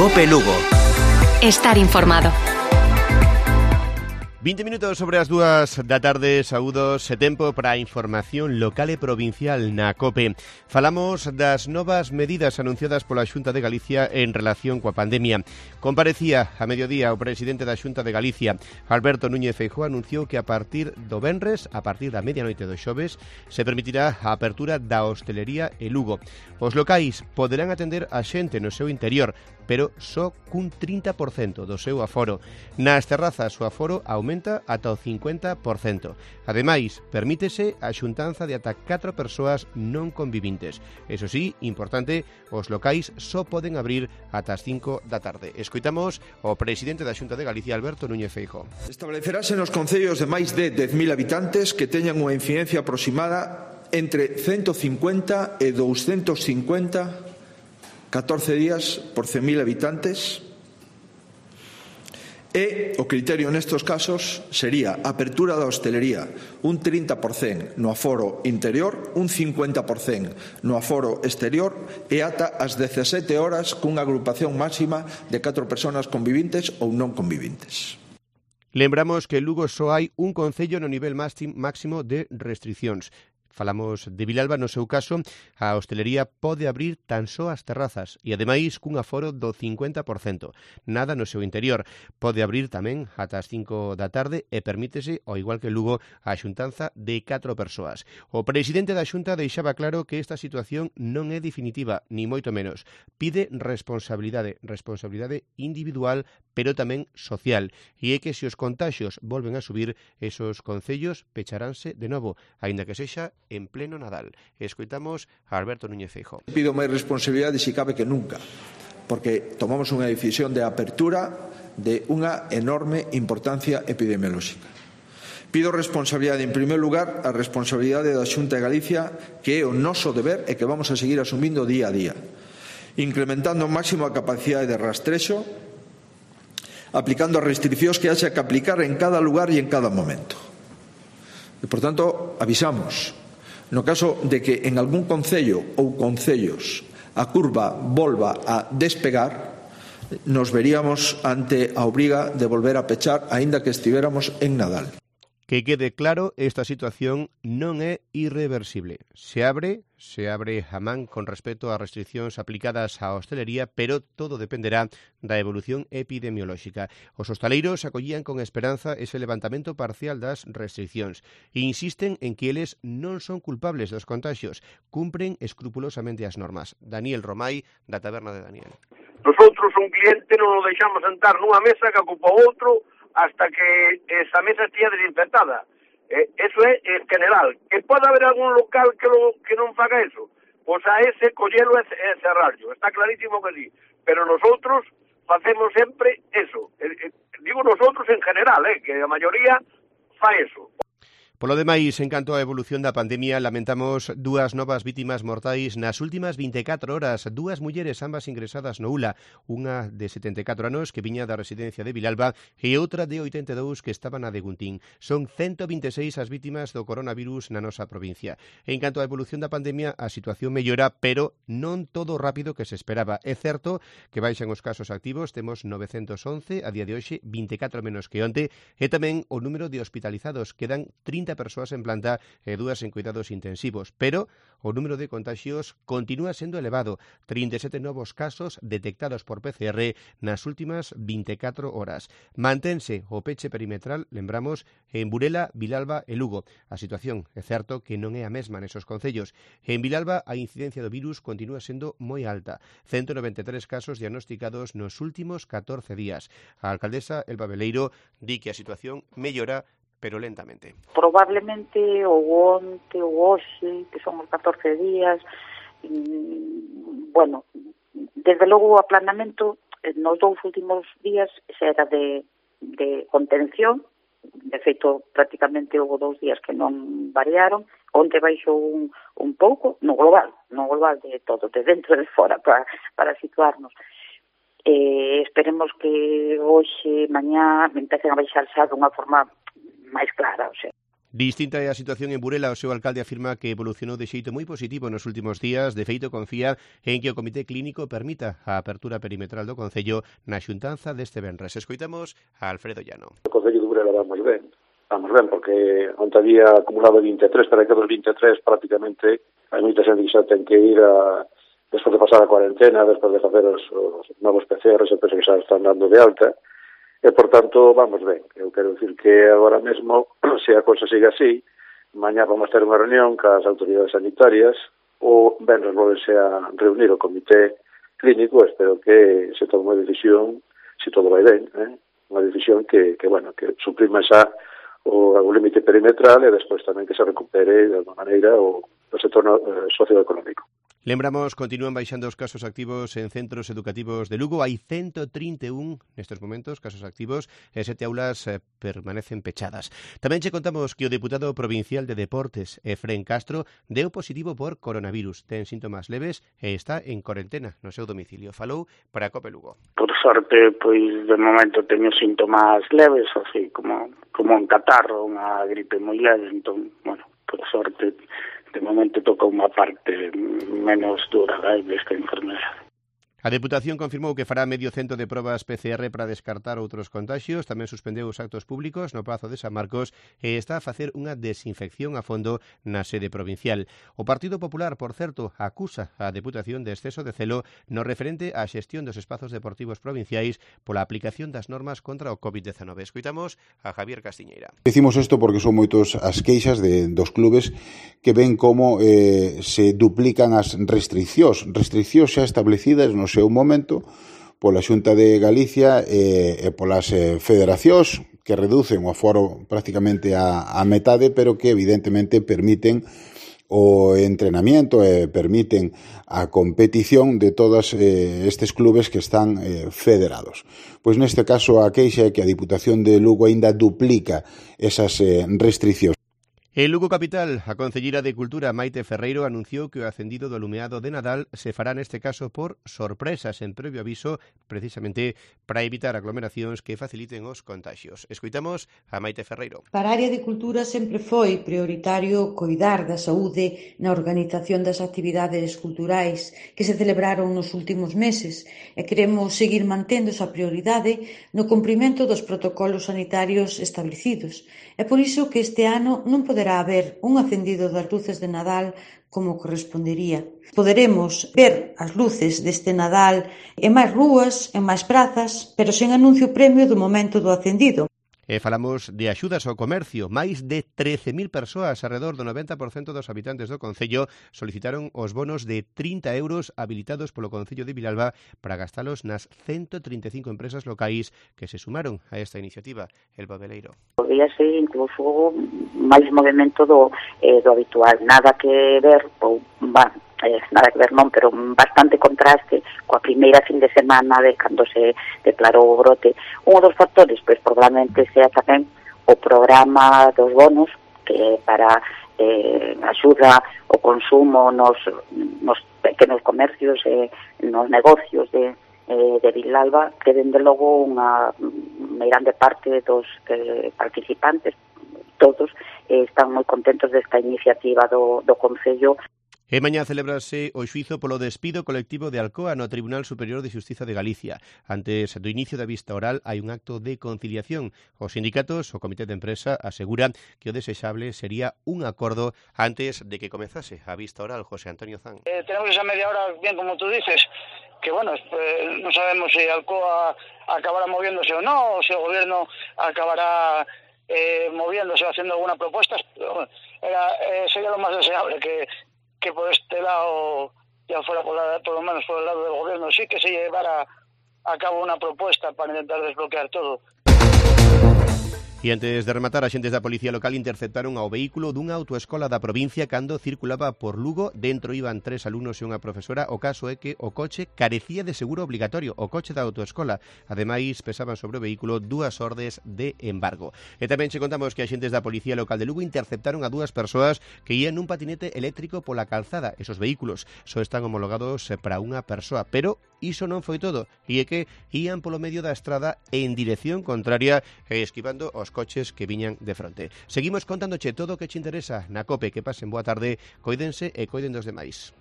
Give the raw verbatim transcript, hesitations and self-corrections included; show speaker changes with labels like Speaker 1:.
Speaker 1: Cope Lugo.
Speaker 2: Estar informado.
Speaker 3: vinte minutos sobre as dúas da tarde, saúdos e tempo para a información local e provincial na COPE. Falamos das novas medidas anunciadas pola Xunta de Galicia en relación coa pandemia. Comparecía a mediodía o presidente da Xunta de Galicia, Alberto Núñez Feijóo, anunciou que a partir do venres, a partir da medianoite do xoves, se permitirá a apertura da hostelería e Lugo. Os locais poderán atender a xente no seu interior, pero só cun trinta por cento do seu aforo. Nas terrazas o aforo aumenta ata o cincuenta por cento. Ademais, permítese a xuntanza de ata catro persoas non convivintes. Eso sí, importante, os locais só poden abrir ata as cinco da tarde. Escoitamos o presidente da Xunta de Galicia, Alberto Núñez Feijóo.
Speaker 4: Establecerase nos concellos de máis de dez mil habitantes que teñan unha incidencia aproximada entre ciento cincuenta e doscientos cincuenta catorce días por cen mil habitantes e o criterio nestes casos sería apertura da hostelería un trinta por cento no aforo interior, un cincuenta por cento no aforo exterior e ata as dezasete horas cunha agrupación máxima de catro persoas convivintes ou non convivintes.
Speaker 3: Lembramos que en Lugo só hai un concello no nivel máximo de restriccións. Falamos de Vilalba, no seu caso, a hostelería pode abrir tan só as terrazas e, ademais, cun aforo do cincuenta por cento. Nada no seu interior. Pode abrir tamén ata as cinco da tarde e permítese, ao igual que Lugo, a xuntanza de catro persoas. O presidente da Xunta deixaba claro que esta situación non é definitiva, ni moito menos. Pide responsabilidade, responsabilidade individual, pero tamén social. E é que se os contaxios volven a subir, esos concellos pecharánse de novo, aínda que sexa en pleno Nadal. Escoitamos a Alberto Núñez Feijóo.
Speaker 4: Pido máis responsabilidade si cabe que nunca, porque tomamos unha decisión de apertura de unha enorme importancia epidemiolóxica. Pido responsabilidade, en primeiro lugar, a responsabilidade da Xunta de Galicia, que é o noso deber e que vamos a seguir asumindo día a día, incrementando ao máximo a capacidade de rastrexo, aplicando as restriccións que haxa que aplicar en cada lugar e en cada momento. E, por tanto, avisamos. No caso de que en algún concello ou concellos a curva volva a despegar, nos veríamos ante a obriga de volver a pechar aínda que estivéramos en Nadal.
Speaker 3: Que quede claro, esta situación non é irreversible. Se abre, se abre a man con respecto ás restriccións aplicadas á hostelería, pero todo dependerá da evolución epidemiolóxica. Os hostaleiros acollían con esperanza ese levantamento parcial das restriccións e insisten en que eles non son culpables dos contagios, cumpren escrupulosamente as normas. Daniel Romai, da Taberna de Daniel.
Speaker 5: Nosotros un cliente non o deixamos sentar nunha mesa que ocupa outro hasta que esa mesa estea desinfectada. Eh, eso é en general. Que pode haber algún local que, lo, que non faga eso? Pois a ese collelo e cerrarlo. Está clarísimo que sí. Pero nosotros facemos sempre eso. Eh, eh, digo nosotros en general, eh, que a maioría fa eso.
Speaker 3: Polo demais, en canto á evolución da pandemia, lamentamos dúas novas vítimas mortais nas últimas vinte e catro horas, dúas mulleres ambas ingresadas no U L A, unha de setenta e catro anos que viña da residencia de Vilalba e outra de oitenta e dous que estaba na de Guntín. Son ciento vinte e seis as vítimas do coronavirus na nosa provincia. En canto á evolución da pandemia, a situación mellora, pero non todo o rápido que se esperaba. É certo que baixan os casos activos, temos novecentos once, a día de hoxe vinte e catro menos que onte, e tamén o número de hospitalizados, quedan trinta persoas en planta e dúas en cuidados intensivos, pero o número de contagios continúa sendo elevado, trinta e sete novos casos detectados por P C R nas últimas vinte e catro horas. Mantense o peche perimetral, lembramos, en Burela, Vilalba e Lugo. A situación é certo que non é a mesma nesos concellos. En Vilalba a incidencia do virus continúa sendo moi alta, ciento noventa e tres casos diagnosticados nos últimos catorce días. A alcaldesa Elba Beleiro di que a situación mellora pero lentamente.
Speaker 6: Probablemente o onte ou hoxe, que son os catorce días, bueno, desde logo o aplanamento nos dous últimos días era de, de contención, de feito prácticamente houve dous días que non variaron, onte baixou un, un pouco, no global, no global de todo, de dentro e de fora, para, para situarnos. Eh, esperemos que hoxe, mañá, empecen a baixar xa dunha forma máis clara, o sea.
Speaker 3: Distinta é a situación en Burela. O seu alcalde afirma que evolucionou de xeito moi positivo nos últimos días. De feito, confía en que o Comité Clínico permita a apertura perimetral do Concello na xuntanza deste venres. Escoitamos a Alfredo Llano.
Speaker 1: O Concello de Burela vamos ben. Vamos ben, porque onde había acumulado vinte e tres, para que dos vinte e tres prácticamente hai moita xente que xa ten que ir a, despois de pasar a cuarentena, despois de facer os, os novos P C Rs, e penso que xa están dando de alta. E, por tanto, vamos ben. Eu quero dicir que agora mesmo, se a cosa siga así, mañá vamos ter unha reunión cas autoridades sanitarias, o venres volverse a reunir o comité clínico. Espero que se tome unha decisión, se todo vai ben, eh? unha decisión que, que, bueno, que suprima xa o, o límite perimetral e despois tamén que se recupere de alguma maneira o, o sector eh, socioeconómico.
Speaker 3: Lembramos, continúan baixando os casos activos en centros educativos de Lugo. Hai ciento trinta e un nestes momentos casos activos e sete aulas eh, permanecen pechadas. Tamén che contamos que o deputado provincial de Deportes, Efrén Castro, deu positivo por coronavirus. Ten síntomas leves e está en cuarentena no seu domicilio. Falou para a Cope Lugo.
Speaker 7: Por sorte, pois de momento teño síntomas leves, así como como un catarro, unha gripe moi leve, entón, bueno, por sorte, de momento toca unha parte menos dura desta enfermedade.
Speaker 3: A Deputación confirmou que fará medio cento de probas P C R para descartar outros contaxios. Tamén suspendeu os actos públicos no Pazo de San Marcos e está a facer unha desinfección a fondo na sede provincial. O Partido Popular, por certo, acusa a Deputación de exceso de celo no referente á xestión dos espazos deportivos provinciais pola aplicación das normas contra o COVID diecinueve. Escoitamos a Javier Castiñeira.
Speaker 8: Decimos isto porque son moitos as queixas de dos clubes que ven como eh, se duplican as restriccións, restriccións xa establecidas no seu momento pola Xunta de Galicia e, e polas eh, federacións que reducen o aforo prácticamente a, a metade, pero que evidentemente permiten o entrenamiento e permiten a competición de todos eh, estes clubes que están eh, federados. Pois neste caso a queixa é que a Diputación de Lugo aínda duplica esas eh, restriccións.
Speaker 3: En Lugo Capital, a concelleira de Cultura Maite Ferreiro anunciou que o acendido do alumeado de Nadal se fará neste caso por sorpresas en previo aviso, precisamente para evitar aglomeracións que faciliten os contagios. Escoitamos a Maite Ferreiro.
Speaker 9: Para a área de cultura sempre foi prioritario coidar da saúde na organización das actividades culturais que se celebraron nos últimos meses e queremos seguir mantendo esa prioridade no cumprimento dos protocolos sanitarios establecidos. É por iso que este ano non poderá haber un acendido das luces de Nadal como correspondería. Poderemos ver as luces deste Nadal en máis rúas, en máis prazas, pero sen anuncio premio do momento do acendido.
Speaker 3: E falamos de axudas ao comercio. Máis de trece mil persoas, alrededor do noventa por cento dos habitantes do Concello, solicitaron os bonos de trinta euros habilitados polo Concello de Vilalba para gastalos nas ciento trinta e cinco empresas locais que se sumaron a esta iniciativa. El Babeleiro.
Speaker 6: Podría ser incluso máis movimento do, eh, do habitual. Nada que ver, ou, bah, eh, nada que ver non, pero bastante contraste coa primeira fin de semana de cando se declarou o brote. Un dos factores, pois probablemente sea tamén o programa dos bonos que para eh, axuda o consumo nos, nos pequenos comercios e eh, nos negocios de, eh, de Vilalba, que dende logo unha grande parte dos eh, participantes, todos, eh, están moi contentos desta iniciativa do, do Concello.
Speaker 3: E mañá celebrase o xuízo polo despido colectivo de Alcoa no Tribunal Superior de Xustiza de Galicia. Antes do inicio da vista oral hai un acto de conciliación. Os sindicatos, o comité de empresa, aseguran que o desexable sería un acordo antes de que comezase a vista oral. José Antonio Zan.
Speaker 7: Eh, tenemos esa media hora, bien como tú dices, que bueno, eh, no sabemos si Alcoa acabará moviéndose o no, o si el gobierno acabará eh, moviéndose o haciendo alguna propuesta. Pero, bueno, era, eh, sería lo más deseable que que por este lado, ya fuera por, la, por lo menos por el lado del gobierno, sí que se llevara a cabo una propuesta para intentar desbloquear todo.
Speaker 3: E antes de rematar, axentes da Policía Local interceptaron ao vehículo dunha autoescola da provincia cando circulaba por Lugo. Dentro iban tres alumnos e unha profesora. O caso é que o coche carecía de seguro obligatorio, o coche da autoescola. Ademais, pesaban sobre o vehículo dúas ordes de embargo. E tamén che contamos que axentes da Policía Local de Lugo interceptaron a dúas persoas que ían nun patinete eléctrico pola calzada. Esos vehículos só están homologados para unha persoa, pero iso non foi todo, e é que ían polo medio da estrada en dirección contraria e esquivando os coches que viñan de fronte. Seguimos contándoche todo o que che interesa na COPE. Que pasen boa tarde, coídense e coiden dos demais.